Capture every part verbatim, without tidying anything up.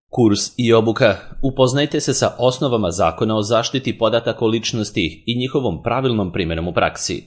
Kurs i obuka. Upoznajte se sa osnovama Zakona o zaštiti podataka o ličnosti i njihovom pravilnom primjenom u praksi.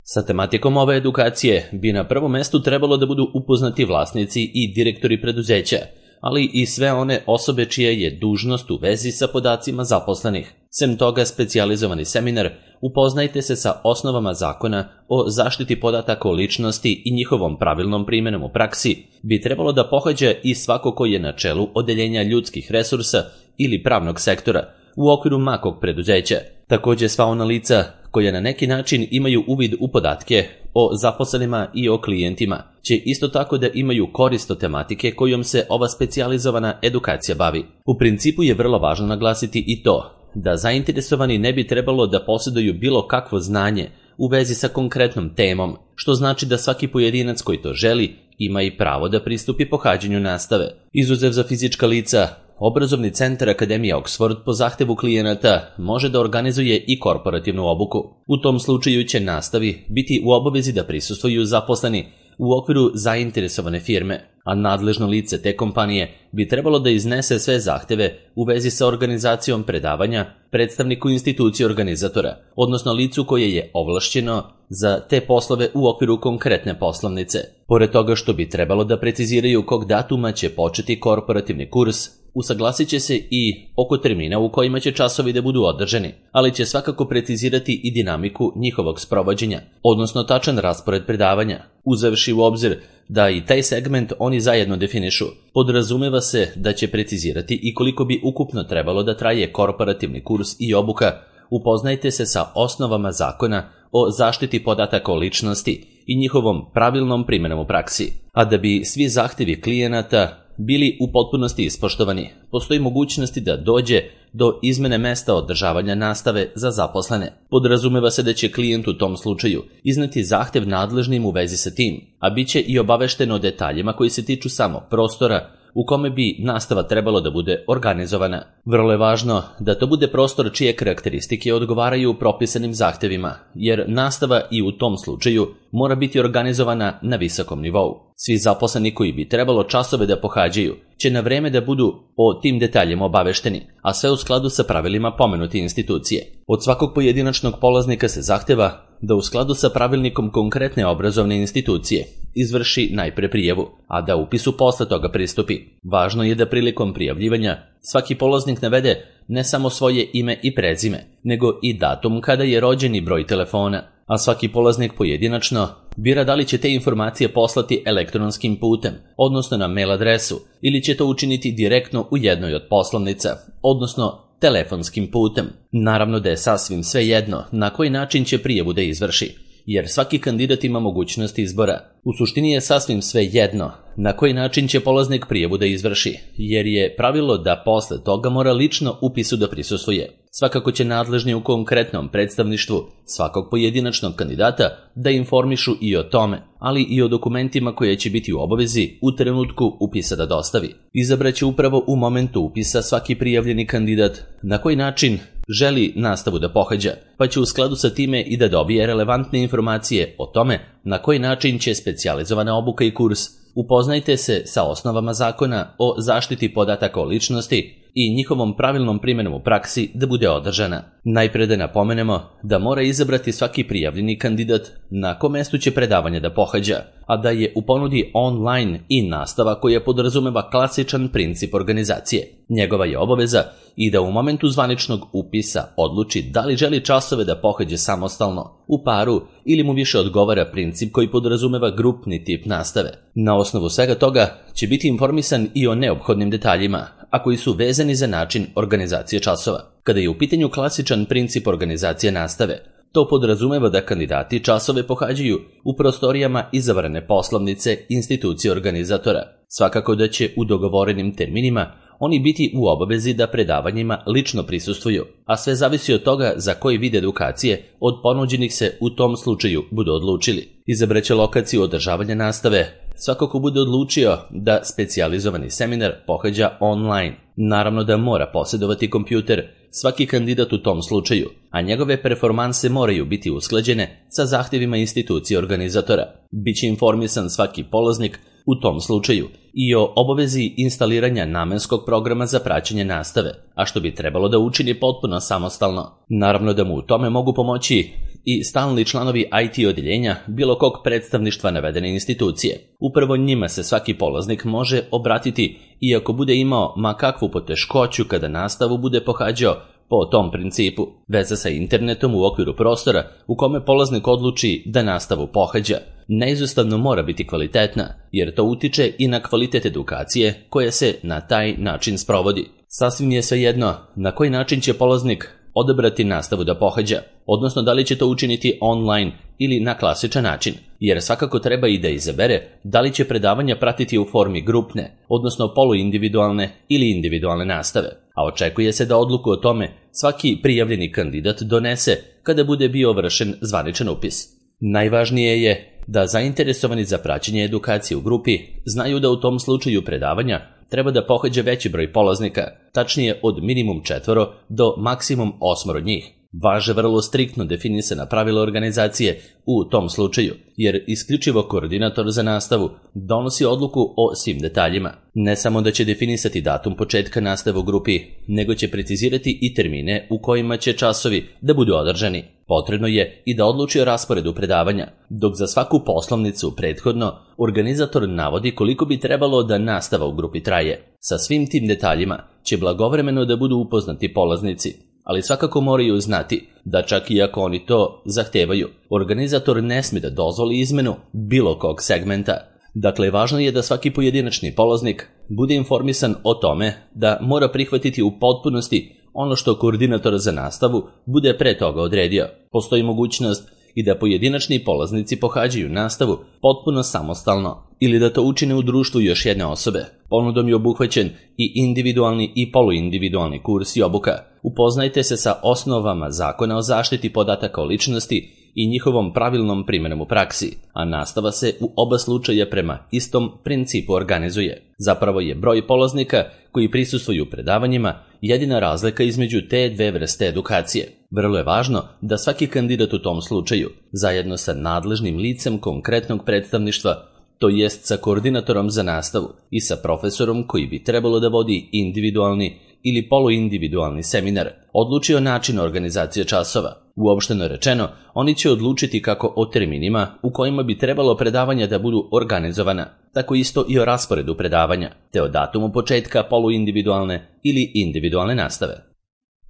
Sa tematikom ove edukacije bi na prvom mestu trebalo da budu upoznati vlasnici i direktori preduzeća, ali i sve one osobe čija je dužnost u vezi sa podacima zaposlenih. Sem toga, specijalizovani seminar Upoznajte se sa osnovama Zakona o zaštiti podataka o ličnosti i njihovom pravilnom primjenom u praksi bi trebalo da pohađa i svako ko je na čelu odeljenja ljudskih resursa ili pravnog sektora u okviru makog preduzeća. Također sva ona lica koja na neki način imaju uvid u podatke o zaposlenima i o klijentima će isto tako da imaju korist od tematike kojom se ova specijalizovana edukacija bavi. U principu je vrlo važno naglasiti i to da zainteresovani ne bi trebalo da posjeduju bilo kakvo znanje u vezi sa konkretnom temom, što znači da svaki pojedinac koji to želi ima i pravo da pristupi pohađanju nastave. Izuzev za fizička lica, Obrazovni centar Akademija Oxford po zahtevu klijenata može da organizuje i korporativnu obuku. U tom slučaju će nastavi biti u obavezi da prisustvuju zaposleni u okviru zainteresovane firme, a nadležno lice te kompanije bi trebalo da iznese sve zahteve u vezi sa organizacijom predavanja predstavniku institucije organizatora, odnosno licu koje je ovlašćeno za te poslove u okviru konkretne poslovnice. Pored toga što bi trebalo da preciziraju kog datuma će početi korporativni kurs, usaglasit će se i oko termina u kojima će časovi da budu održani, ali će svakako precizirati i dinamiku njihovog sprovođenja, odnosno tačan raspored predavanja, uzevši u obzir da i taj segment oni zajedno definišu. Podrazumeva se da će precizirati i koliko bi ukupno trebalo da traje korporativni kurs i obuka. Upoznajte se sa osnovama Zakona o zaštiti podataka o ličnosti i njihovom pravilnom primjenom u praksi. A da bi svi zahtevi klijenata bili u potpunosti ispoštovani, postoji mogućnosti da dođe do izmene mesta održavanja nastave za zaposlene. Podrazumeva se da će klijent u tom slučaju izneti zahtev nadležnim u vezi sa tim, a bit će i obavešteno o detaljima koji se tiču samog prostora u kome bi nastava trebalo da bude organizovana. Vrlo je važno da to bude prostor čije karakteristike odgovaraju propisanim zahtevima, jer nastava i u tom slučaju mora biti organizovana na visokom nivou. Svi zaposleni koji bi trebalo časove da pohađaju će na vreme da budu o tim detaljima obavešteni, a sve u skladu sa pravilima pomenute institucije. Od svakog pojedinačnog polaznika se zahteva da u skladu sa pravilnikom konkretne obrazovne institucije izvrši najpre prijavu, a da upisu posle toga pristupi. Važno je da prilikom prijavljivanja svaki polaznik navede ne samo svoje ime i prezime, nego i datum kada je rođen i broj telefona, a svaki polaznik pojedinačno bira da li će te informacije poslati elektronskim putem, odnosno na mail adresu, ili će to učiniti direktno u jednoj od poslovnica, odnosno telefonskim putem. Naravno da je sasvim svejedno na koji način će prijavu da izvrši, jer svaki kandidat ima mogućnost izbora. U suštini je sasvim svejedno na koji način će polaznik prijavu da izvrši, jer je pravilo da posle toga mora lično upisu da prisustvuje. Svakako će nadležni u konkretnom predstavništvu svakog pojedinačnog kandidata da informišu i o tome, ali i o dokumentima koje će biti u obavezi u trenutku upisa da dostavi. Izabraće upravo u momentu upisa svaki prijavljeni kandidat na koji način želi nastavu da pohađa, pa će u skladu sa time i da dobije relevantne informacije o tome na koji način će specijalizovana obuka i kurs Upoznajte se sa osnovama Zakona o zaštiti podataka o ličnosti i njihovom pravilnom primjenom u praksi da bude održana. Najpre da napomenemo da mora izabrati svaki prijavljeni kandidat na kom mestu će predavanje da pohađa, a da je u ponudi online i nastava koja podrazumeva klasičan princip organizacije. Njegova je obaveza i da u momentu zvaničnog upisa odluči da li želi časove da pohađe samostalno, u paru ili mu više odgovara princip koji podrazumeva grupni tip nastave. Na osnovu svega toga će biti informisan i o neophodnim detaljima, a koji su vezani za način organizacije časova. Kada je u pitanju klasičan princip organizacije nastave, to podrazumeva da kandidati časove pohađaju u prostorijama izabrane poslovnice institucije organizatora. Svakako da će u dogovorenim terminima oni biti u obavezi da predavanjima lično prisustvuju, a sve zavisi od toga za koji vid edukacije od ponuđenih se u tom slučaju budu odlučili. Izabraće lokaciju održavanja nastave svako ko bude odlučio da specijalizovani seminar pohađa online. Naravno da mora posjedovati kompjuter svaki kandidat u tom slučaju, a njegove performanse moraju biti usklađene sa zahtjevima institucije organizatora. Biće informisan svaki polaznik u tom slučaju i o obavezi instaliranja namenskog programa za praćenje nastave, a što bi trebalo da učini potpuno samostalno. Naravno da mu u tome mogu pomoći i stalni članovi I T odeljenja bilo kog predstavništva navedene institucije. Upravo njima se svaki polaznik može obratiti iako bude imao ma kakvu poteškoću kada nastavu bude pohađao po tom principu. Veza sa internetom u okviru prostora u kome polaznik odluči da nastavu pohađa neizostavno mora biti kvalitetna, jer to utiče i na kvalitet edukacije koja se na taj način sprovodi. Sasvim je svejedno na koji način će polaznik odabrati nastavu da pohađa, odnosno da li će to učiniti online ili na klasičan način, jer svakako treba i da izabere da li će predavanja pratiti u formi grupne, odnosno poluindividualne ili individualne nastave, a očekuje se da odluku o tome svaki prijavljeni kandidat donese kada bude bio vršen zvaničan upis. Najvažnije je da zainteresovani za praćenje edukacije u grupi znaju da u tom slučaju predavanja treba da pohađa veći broj polaznika, tačnije od minimum četvoro do maksimum osmoro njih. Važe vrlo striktno definisana pravila organizacije u tom slučaju, jer isključivo koordinator za nastavu donosi odluku o svim detaljima. Ne samo da će definisati datum početka nastave u grupi, nego će precizirati i termine u kojima će časovi da budu održani. Potrebno je i da odluči o rasporedu predavanja, dok za svaku poslovnicu prethodno organizator navodi koliko bi trebalo da nastava u grupi traje. Sa svim tim detaljima će blagovremeno da budu upoznati polaznici, ali svakako moraju znati da čak i ako oni to zahtevaju, organizator ne sme da dozvoli izmenu bilo kog segmenta. Dakle, važno je da svaki pojedinačni polaznik bude informisan o tome da mora prihvatiti u potpunosti ono što koordinator za nastavu bude pre toga odredio. Postoji mogućnost i da pojedinačni polaznici pohađaju nastavu potpuno samostalno ili da to učine u društvu još jedne osobe. Ponudom je obuhvaćen i individualni i poluindividualni kurs i obuka. Upoznajte se sa osnovama Zakona o zaštiti podataka o ličnosti i njihovom pravilnom primjenom u praksi, a nastava se u oba slučaja prema istom principu organizuje. Zapravo je broj polaznika koji prisustvuju predavanjima jedina razlika između te dve vrste edukacije. Vrlo je važno da svaki kandidat u tom slučaju, zajedno sa nadležnim licem konkretnog predstavništva, to jest sa koordinatorom za nastavu i sa profesorom koji bi trebalo da vodi individualni ili poluindividualni seminar, odlučio način organizacije časova. Uopšteno rečeno, oni će odlučiti kako o terminima u kojima bi trebalo predavanja da budu organizovana, tako isto i o rasporedu predavanja, te o datumu početka poluindividualne ili individualne nastave.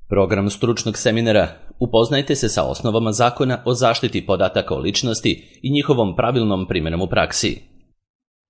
Program stručnog seminara: upoznajte se sa osnovama Zakona o zaštiti podataka o ličnosti i njihovom pravilnom primjenom u praksi.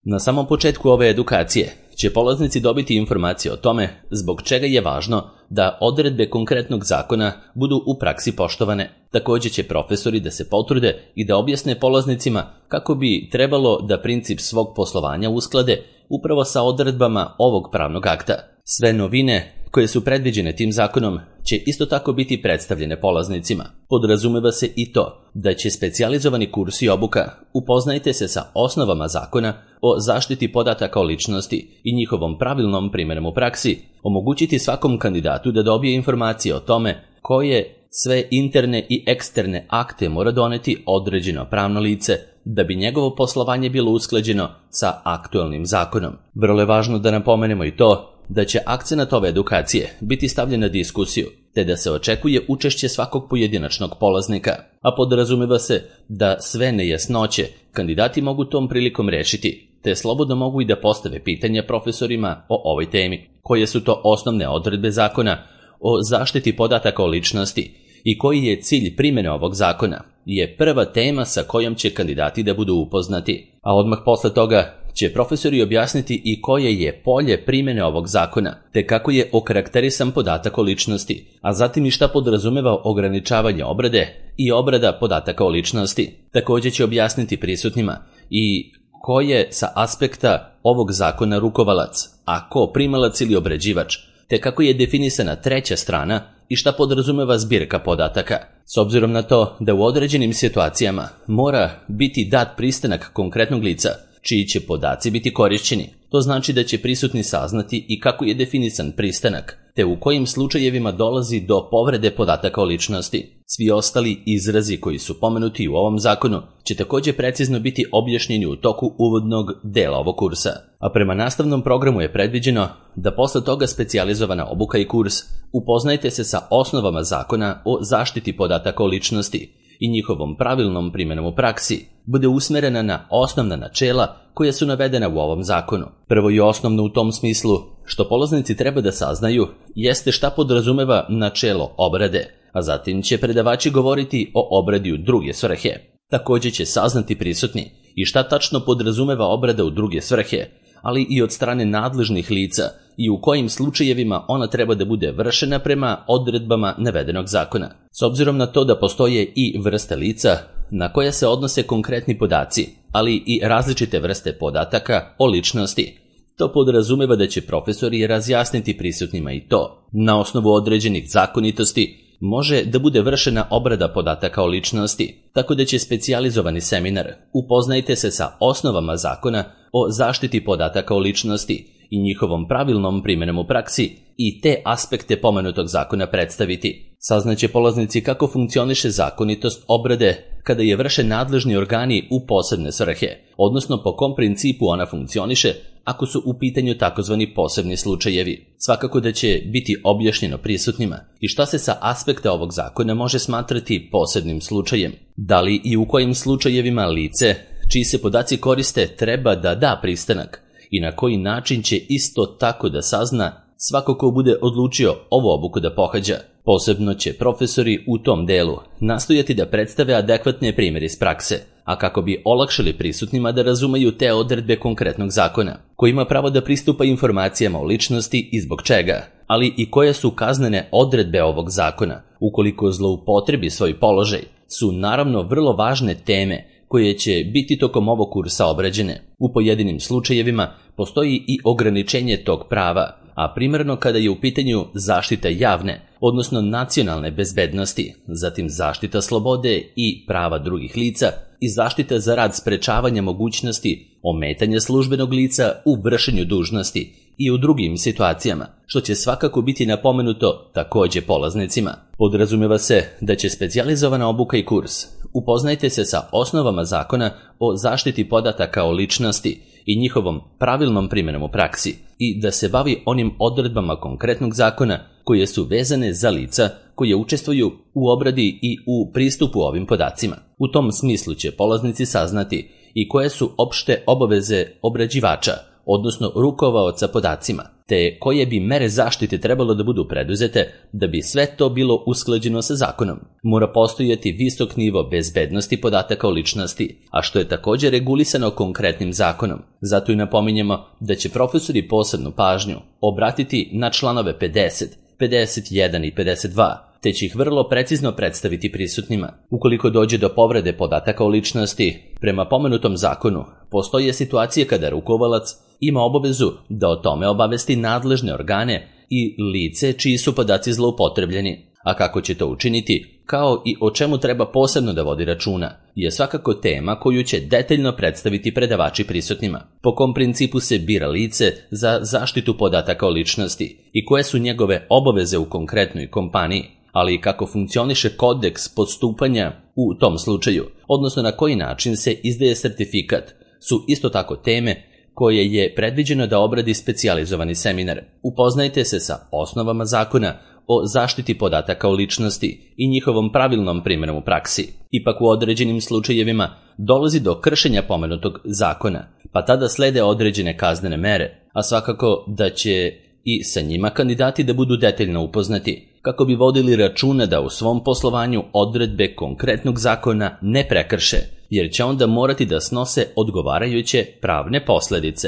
Na samom početku ove edukacije će polaznici dobiti informacije o tome zbog čega je važno da odredbe konkretnog zakona budu u praksi poštovane. Također će profesori da se potrude i da objasne polaznicima kako bi trebalo da princip svog poslovanja usklade upravo sa odredbama ovog pravnog akta. Sve novine koje su predviđene tim zakonom će isto tako biti predstavljene polaznicima. Podrazumeva se i to da će specijalizovani kurs i obuka upoznajte se sa osnovama Zakona o zaštiti podataka o ličnosti i njihovom pravilnom primjenom u praksi omogućiti svakom kandidatu da dobije informacije o tome koje sve interne i eksterne akte mora doneti određeno pravno lice da bi njegovo poslovanje bilo usklađeno sa aktualnim zakonom. Vrlo je važno da napomenemo i to da će akcenat ove edukacije biti stavljen na diskusiju, te da se očekuje učešće svakog pojedinačnog polaznika, a podrazumeva se da sve nejasnoće kandidati mogu tom prilikom rešiti, te slobodno mogu i da postave pitanja profesorima o ovoj temi. Koje su to osnovne odredbe Zakona o zaštiti podataka o ličnosti i koji je cilj primjene ovog zakona je prva tema sa kojom će kandidati da budu upoznati, a odmah posle toga će profesori objasniti i koje je polje primjene ovog zakona, te kako je okarakterisan podatak o ličnosti, a zatim i šta podrazumeva ograničavanje obrade i obrada podataka o ličnosti. Također će objasniti prisutnima i ko je sa aspekta ovog zakona rukovalac, a ko primalac ili obrađivač, te kako je definisana treća strana i šta podrazumeva zbirka podataka. S obzirom na to da u određenim situacijama mora biti dat pristanak konkretnog lica, čiji će podaci biti korišćeni. To znači da će prisutni saznati i kako je definisan pristanak, te u kojim slučajevima dolazi do povrede podataka o ličnosti. Svi ostali izrazi koji su pomenuti u ovom zakonu će također precizno biti objašnjeni u toku uvodnog dela ovog kursa, a prema nastavnom programu je predviđeno da posle toga specijalizovana obuka i kurs Upoznajte se sa osnovama zakona o zaštiti podataka o ličnosti i njihovom pravilnom primjenom u praksi bude usmerena na osnovna načela koja su navedena u ovom zakonu. Prvo i osnovno u tom smislu što polaznici treba da saznaju jeste šta podrazumeva načelo obrade, a zatim će predavači govoriti o obradi u druge svrhe. Također će saznati prisutni i šta tačno podrazumeva obrada u druge svrhe, ali i od strane nadležnih lica i u kojim slučajevima ona treba da bude vršena prema odredbama navedenog zakona. S obzirom na to da postoje i vrste lica na koje se odnose konkretni podaci, ali i različite vrste podataka o ličnosti, to podrazumeva da će profesori razjasniti prisutnima i to. Na osnovu određenih zakonitosti može da bude vršena obrada podataka o ličnosti, tako da će specijalizovani seminar Upoznajte se sa osnovama zakona o zaštiti podataka o ličnosti i njihovom pravilnom primjenom u praksi i te aspekte pomenutog zakona predstaviti. Saznaće polaznici kako funkcioniše zakonitost obrade kada je vrše nadležni organi u posebne svrhe, odnosno po kom principu ona funkcioniše ako su u pitanju takozvani posebni slučajevi. Svakako da će biti objašnjeno prisutnima i šta se sa aspekta ovog zakona može smatrati posebnim slučajem. Da li i u kojim slučajevima lice čiji se podaci koriste treba da da pristanak i na koji način će isto tako da sazna svako ko bude odlučio ovu obuku da pohađa. Posebno će profesori u tom delu nastojati da predstave adekvatne primjere iz prakse, a kako bi olakšali prisutnima da razumeju te odredbe konkretnog zakona, koji ima pravo da pristupa informacijama o ličnosti i zbog čega, ali i koje su kaznene odredbe ovog zakona, ukoliko zloupotrebi svoj položaj, su naravno vrlo važne teme koje će biti tokom ovog kursa obrađene. U pojedinim slučajevima postoji i ograničenje tog prava, a primarno kada je u pitanju zaštita javne, odnosno nacionalne bezbednosti, zatim zaštita slobode i prava drugih lica i zaštita za rad sprečavanja mogućnosti ometanja službenog lica u vršenju dužnosti i u drugim situacijama, što će svakako biti napomenuto također polaznicima. Podrazumeva se da će specijalizovana obuka i kurs Upoznajte se sa osnovama zakona o zaštiti podataka o ličnosti i njihovom pravilnom primjenom u praksi i da se bavi onim odredbama konkretnog zakona koje su vezane za lica koje učestvuju u obradi i u pristupu ovim podacima. U tom smislu će polaznici saznati i koje su opšte obaveze obrađivača, odnosno rukovaoca podacima, te koje bi mere zaštite trebalo da budu preduzete da bi sve to bilo usklađeno sa zakonom. Mora postojati visok nivo bezbednosti podataka o ličnosti, a što je također regulisano konkretnim zakonom. Zato i napominjemo da će profesori posebnu pažnju obratiti na članove pedeset, pedeset jedan i pedeset dva, te će ih vrlo precizno predstaviti prisutnima. Ukoliko dođe do povrede podataka o ličnosti, prema pomenutom zakonu, postoje situacije kada rukovalac ima obavezu da o tome obavesti nadležne organe i lice čiji su podaci zloupotrebljeni. A kako će to učiniti, kao i o čemu treba posebno da vodi računa, je svakako tema koju će detaljno predstaviti predavači prisutnima. Po kom principu se bira lice za zaštitu podataka o ličnosti i koje su njegove obaveze u konkretnoj kompaniji, ali i kako funkcioniše kodeks postupanja u tom slučaju, odnosno na koji način se izdaje sertifikat, su isto tako teme koje je predviđeno da obradi specijalizovani seminar. Upoznajte se sa osnovama zakona o zaštiti podataka o ličnosti i njihovom pravilnom primjenom u praksi. Ipak u određenim slučajevima dolazi do kršenja pomenutog zakona, pa tada slede određene kaznene mere, a svakako da će i sa njima kandidati da budu detaljno upoznati, kako bi vodili računa da u svom poslovanju odredbe konkretnog zakona ne prekrše, jer će onda morati da snose odgovarajuće pravne posljedice.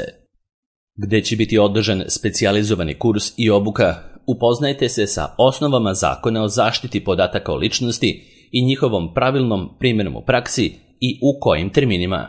Gde će biti održan specijalizovani kurs i obuka, upoznajte se sa osnovama zakona o zaštiti podataka o ličnosti i njihovom pravilnom primjenom u praksi i u kojim terminima.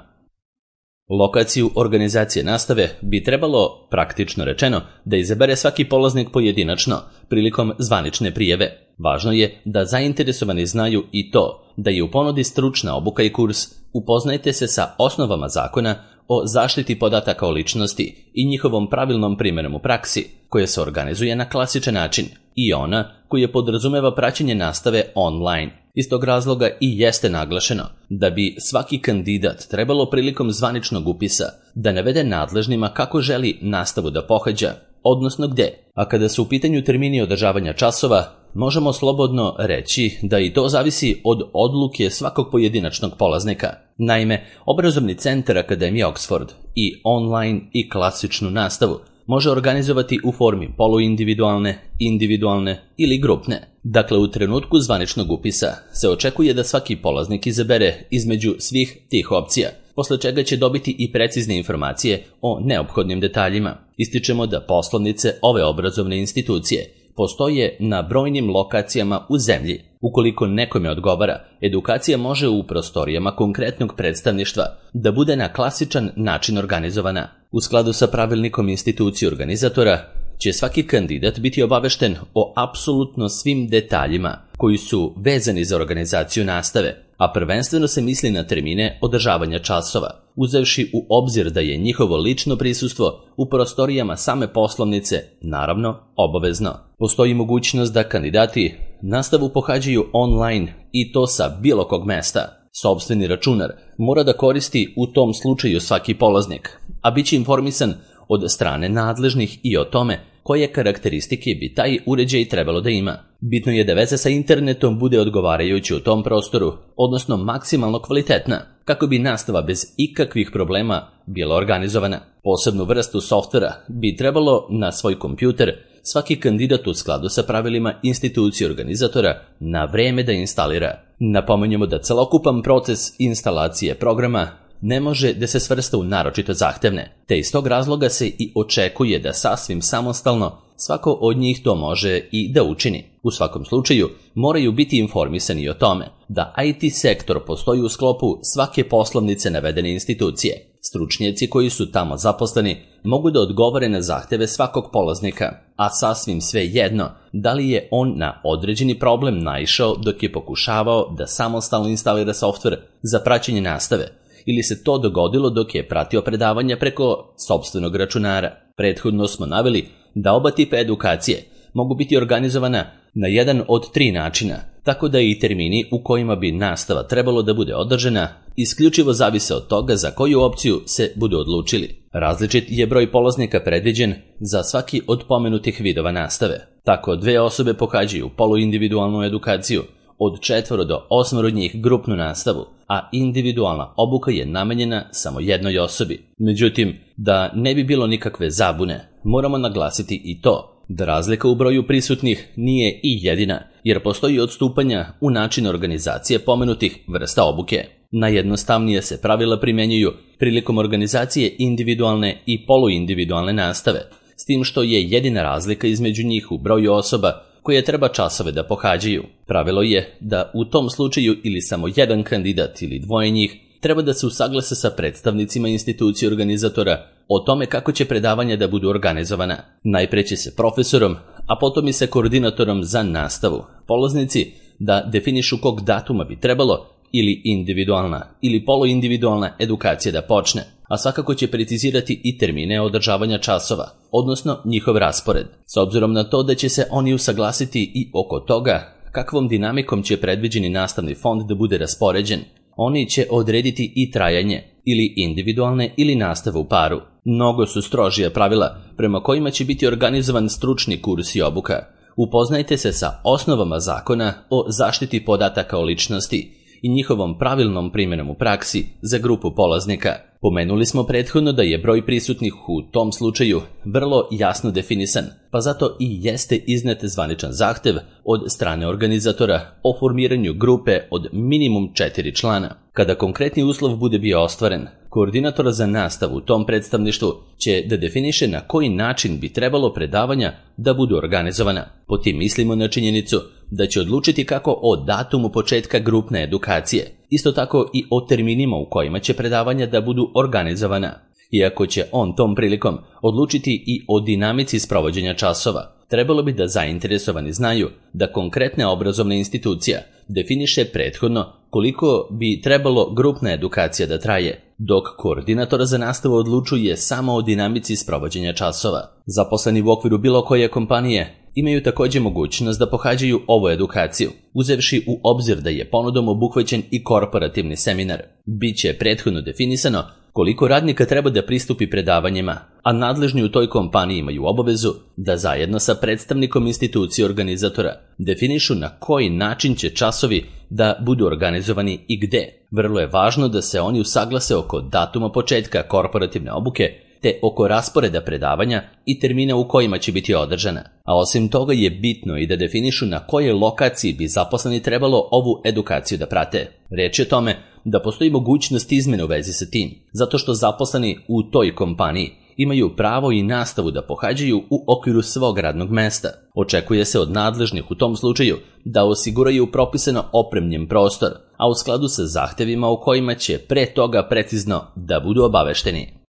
Lokaciju organizacije nastave bi trebalo, praktično rečeno, da izabere svaki polaznik pojedinačno prilikom zvanične prijave. Važno je da zainteresovani znaju i to da je u ponudi stručna obuka i kurs Upoznajte se sa osnovama zakona o zaštiti podataka o ličnosti i njihovom pravilnom primjenom u praksi, koja se organizuje na klasičan način, i ona koja podrazumeva praćenje nastave online Iz tog razloga i jeste naglašeno da bi svaki kandidat trebalo prilikom zvaničnog upisa da navede nadležnima kako želi nastavu da pohađa, odnosno gde. A kada su u pitanju termini održavanja časova, možemo slobodno reći da i to zavisi od odluke svakog pojedinačnog polaznika. Naime, obrazovni centar Akademije Oxford i online i klasičnu nastavu može organizovati u formi poluindividualne, individualne ili grupne. Dakle, u trenutku zvaničnog upisa se očekuje da svaki polaznik izabere između svih tih opcija, posle čega će dobiti i precizne informacije o neophodnim detaljima. Ističemo da poslovnice ove obrazovne institucije postoje na brojnim lokacijama u zemlji. Ukoliko nekome odgovara, edukacija može u prostorijama konkretnog predstavništva da bude na klasičan način organizovana. U skladu sa pravilnikom institucije organizatora će svaki kandidat biti obavešten o apsolutno svim detaljima koji su vezani za organizaciju nastave, a prvenstveno se misli na termine održavanja časova, uzevši u obzir da je njihovo lično prisustvo u prostorijama same poslovnice, naravno, obavezno. Postoji mogućnost da kandidati nastavu pohađaju online i to sa bilo kog mesta. Sopstveni računar mora da koristi u tom slučaju svaki polaznik, a bit će informisan od strane nadležnih i o tome koje karakteristike bi taj uređaj trebalo da ima. Bitno je da veza sa internetom bude odgovarajuća u tom prostoru, odnosno maksimalno kvalitetna, kako bi nastava bez ikakvih problema bila organizovana. Posebnu vrstu softvera bi trebalo na svoj kompjuter svaki kandidat u skladu sa pravilima institucije organizatora na vreme da instalira. Napomenjemo da celokupan proces instalacije programa ne može da se svrsta u naročito zahtevne, te iz tog razloga se i očekuje da sasvim samostalno svako od njih to može i da učini. U svakom slučaju, moraju biti informisani o tome da I T sektor postoji u sklopu svake poslovnice navedene institucije. Stručnjaci koji su tamo zaposleni mogu da odgovore na zahteve svakog polaznika, a sasvim sve jedno da li je on na određeni problem naišao dok je pokušavao da samostalno instalira softver za praćenje nastave, ili se to dogodilo dok je pratio predavanja preko sopstvenog računara. Prethodno smo naveli da oba tipa edukacije mogu biti organizovana na jedan od tri načina, tako da i termini u kojima bi nastava trebalo da bude održana isključivo zavise od toga za koju opciju se budu odlučili. Različit je broj polaznika predviđen za svaki od pomenutih vidova nastave. Tako dve osobe pohađaju poluindividualnu edukaciju, od četvoro do osmoro njih grupnu nastavu, a individualna obuka je namenjena samo jednoj osobi. Međutim, da ne bi bilo nikakve zabune, moramo naglasiti i to da razlika u broju prisutnih nije i jedina, jer postoji odstupanja u načinu organizacije pomenutih vrsta obuke. Najjednostavnije se pravila primenjuju prilikom organizacije individualne i poluindividualne nastave, s tim što je jedina razlika između njih u broju osoba koje treba časove da pohađaju. Pravilo je da u tom slučaju ili samo jedan kandidat ili dvoje njih treba da se usaglase sa predstavnicima institucije organizatora o tome kako će predavanja da budu organizovana. Najpre će se profesorom, a potom i sa koordinatorom za nastavu, polaznici da definišu kog datuma bi trebalo ili individualna ili poluindividualna edukacija da počne, a svakako će precizirati i termine održavanja časova, odnosno njihov raspored. S obzirom na to da će se oni usaglasiti i oko toga kakvom dinamikom će predviđeni nastavni fond da bude raspoređen, oni će odrediti i trajanje ili individualne ili nastave u paru. Mnogo su strožija pravila prema kojima će biti organizovan stručni kurs i obuka. Upoznajte se sa osnovama zakona o zaštiti podataka o ličnosti i njihovom pravilnom primjenom u praksi za grupu polaznika. Pomenuli smo prethodno da je broj prisutnih u tom slučaju vrlo jasno definisan, pa zato i jeste iznet zvaničan zahtev od strane organizatora o formiranju grupe od minimum četiri člana. Kada konkretni uslov bude bio ostvaren, koordinator za nastavu u tom predstavništvu će da definiše na koji način bi trebalo predavanja da budu organizovana. Po tim mislimo na činjenicu da će odlučiti kako o datumu početka grupne edukacije, isto tako i o terminima u kojima će predavanja da budu organizovana. Iako će on tom prilikom odlučiti i o dinamici sprovođenja časova, trebalo bi da zainteresovani znaju da konkretna obrazovna institucija definiše prethodno koliko bi trebalo grupna edukacija da traje, dok koordinator za nastavu odlučuje samo o dinamici sprovođenja časova. Zaposleni u okviru bilo koje kompanije imaju također mogućnost da pohađaju ovu edukaciju, uzevši u obzir da je ponudom obuhvaćen i korporativni seminar. Biće prethodno definisano koliko radnika treba da pristupi predavanjima, a nadležni u toj kompaniji imaju obavezu da zajedno sa predstavnikom institucije organizatora definišu na koji način će časovi da budu organizovani i gde. Vrlo je važno da se oni usaglase oko datuma početka korporativne obuke, te oko rasporeda predavanja i termina u kojima će biti održana. A osim toga je bitno i da definišu na kojoj lokaciji bi zaposleni trebalo ovu edukaciju da prate. Reč je o tome da postoji mogućnost izmene u vezi sa tim, zato što zaposleni u toj kompaniji imaju pravo i nastavu da pohađaju u okviru svog radnog mesta. Očekuje se od nadležnih u tom slučaju da osiguraju propisano opremljen prostor, a u skladu sa zahtevima u kojima će pre toga precizno da budu obavešteni.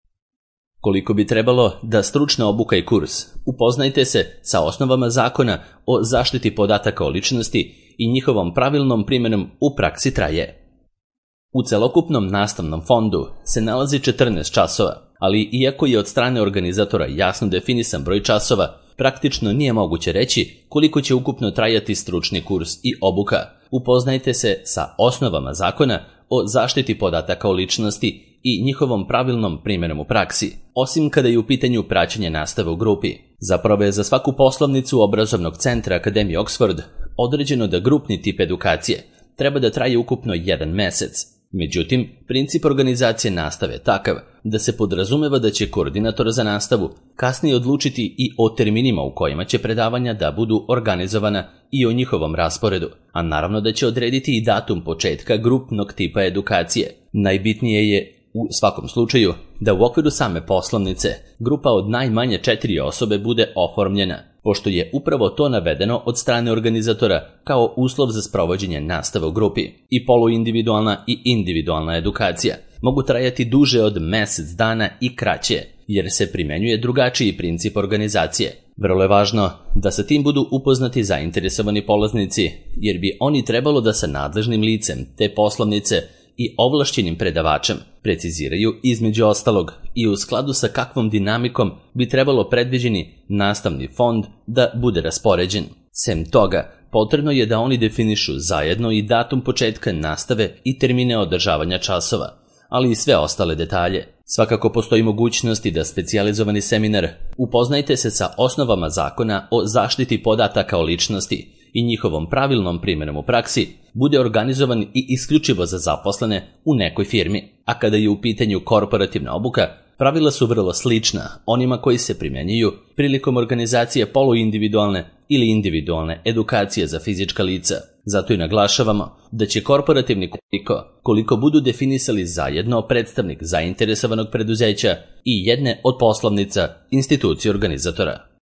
Koliko bi trebalo da stručna obuka i kurs, upoznajte se sa osnovama zakona o zaštiti podataka o ličnosti i njihovom pravilnom primjenom u praksi traje. U celokupnom nastavnom fondu se nalazi četrnaest časova, ali iako je od strane organizatora jasno definisan broj časova, praktično nije moguće reći koliko će ukupno trajati stručni kurs i obuka. Upoznajte se sa osnovama zakona o zaštiti podataka o ličnosti i njihovom pravilnom primjenom u praksi, osim kada je u pitanju praćenje nastave u grupi. Zapravo je za svaku poslovnicu obrazovnog centra Akademije Oxford određeno da grupni tip edukacije treba da traje ukupno jedan mesec. Međutim, princip organizacije nastave je takav da se podrazumeva da će koordinator za nastavu kasnije odlučiti i o terminima u kojima će predavanja da budu organizovana i o njihovom rasporedu, a naravno da će odrediti i datum početka grupnog tipa edukacije. Najbitnije je u svakom slučaju da u okviru same poslovnice grupa od najmanje četiri osobe bude oformljena, pošto je upravo to navedeno od strane organizatora kao uslov za sprovođenje nastave u grupi. I poluindividualna i individualna edukacija mogu trajati duže od mesec dana i kraće, jer se primenjuje drugačiji princip organizacije. Vrlo je važno da sa tim budu upoznati zainteresovani polaznici, jer bi oni trebalo da sa nadležnim licem te poslovnice i ovlašćenim predavačem preciziraju između ostalog i u skladu sa kakvom dinamikom bi trebalo predviđeni nastavni fond da bude raspoređen. Sem toga, potrebno je da oni definišu zajedno i datum početka nastave i termine održavanja časova, ali i sve ostale detalje. Svakako postoji mogućnosti da specijalizovani seminar upoznajte se sa osnovama zakona o zaštiti podataka o ličnosti i njihovom pravilnom primjenom u praksi bude organizovan i isključivo za zaposlene u nekoj firmi. A kada je u pitanju korporativna obuka, pravila su vrlo slična onima koji se primjenjuju prilikom organizacije poluindividualne ili individualne edukacije za fizička lica. Zato i naglašavamo da će korporativni koliko, koliko budu definisali zajedno predstavnik zainteresovanog preduzeća i jedne od poslovnica institucije organizatora.